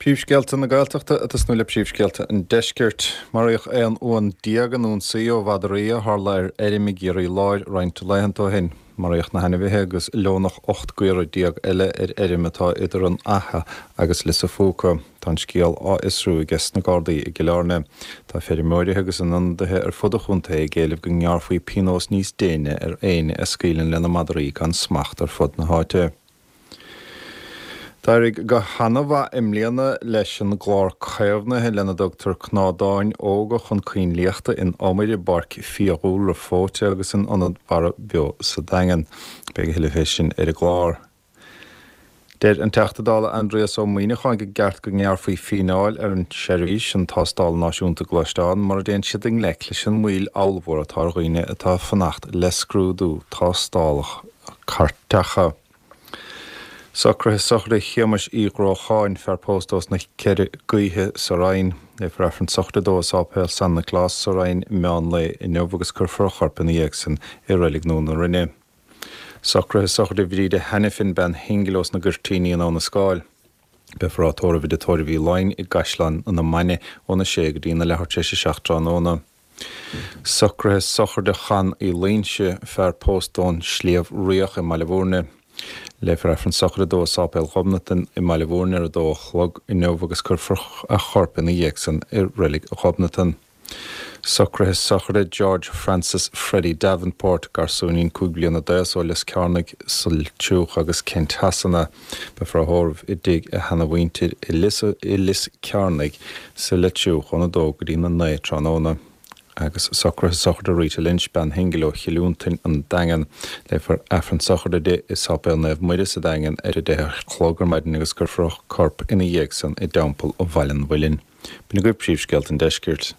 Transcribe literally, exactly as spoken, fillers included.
Príomhscéalta na Gaeltachta ag tosnú le príomhscéalta an deiscirt. Maraíodh aon uan déag in ionsaí ó mhadraí a tharla ar fheirm i gCiarraí Láir roinnt laethanta ó shin. Maraíodh na hainmhithe agus leonach ocht gcaora déag eile ar fheirm atá idir an Fhaiche agus Lios a' Phúca. Tá an scéal á fhiosrú ag na Gardaí i gCill Airne. Tá feirmeoirí agus a n-ionadaithe ar fud an chontae ag éileamh go ngearrfaí pionós níos déine ar éinne a scaoileann lena madraí gan smacht ar fud na háite. D'éirigh go han-mhaith i mbliana leis an gclár caomhnaithe lena dtugtar cnádáin óga chun coinlíochta in Iomaire i bPáirc Fiadhúlra Fóite agus in Ionad Mara Beo sa Daingean. Beidh a thuilleadh fé sin ar an gclár. Deir an Teachta Dála Aindrias Ó Muimhneacháin gur ceart go ngearrfaí fíneáil ar an seirbhís an tástáil náisiúnta gluaisteán mar a dtéann siad i ngleic leis an moill ollmhór atá ar dhaoine atá ag fanacht le scrúdú tástálacha cairteacha. Socruithe sochraide Shéamais Uí Ghrócháin, fear pósta ós na Ceithre Gaoithe sa Rinn. Léifear Aifreann sochraide dó i Sáipéal San Nioclás sa Rinn meán lae inniu agus cuirfear a chorp ina dhiaidh sin i Reilig Nua na Rinne. Socruithe sochraide Bhríde Hanifin bean shingil ós na Goirtíní in Abha na Scáil. Beifear á tórramh i dTigh Tórraimh Uí Fhloinn i gCaisleán na Mainge óna sé go dtí na leathuair tar éis a seacht tráthnóna. Socruithe sochraide Chan Uí Loinse, fear pósta ón Sliabh Riach i mBaile Bhúirne. Léifear Aifreann sochraide dó i Sáipéal Ghobnatan i mBaile Bhúirne ar a dó a chlog inniu agus cuirfear a chorp ina dhiaidh san i Reilig Ghobnatan. Socruithe sochraide George Francis Freddie Davenport, garsúinín cúig bliana d'aois ó Lios Cearnaigh sa Leitriúch agus Kent Shasana. Beifear á thórramh i dtigh a sheanamhuintir i Lios i Lios Cearnaigh sa Leitriúch óna dó go dtí na naoi tráthnóna. Agus socruithe sochraide Rita Lynch bean shingil ó Chill Fhionntain an Daingean. Léifear Aifreann sochraide di i Sáipéal Naomh Muire sa Daingean ar a deich a chlog ar maidin agus cuirfear a corp ina dhiaidh san i dTeampall Bhaile an Mhuilinn. B'in agaibh príomhscéalta an deiscirt.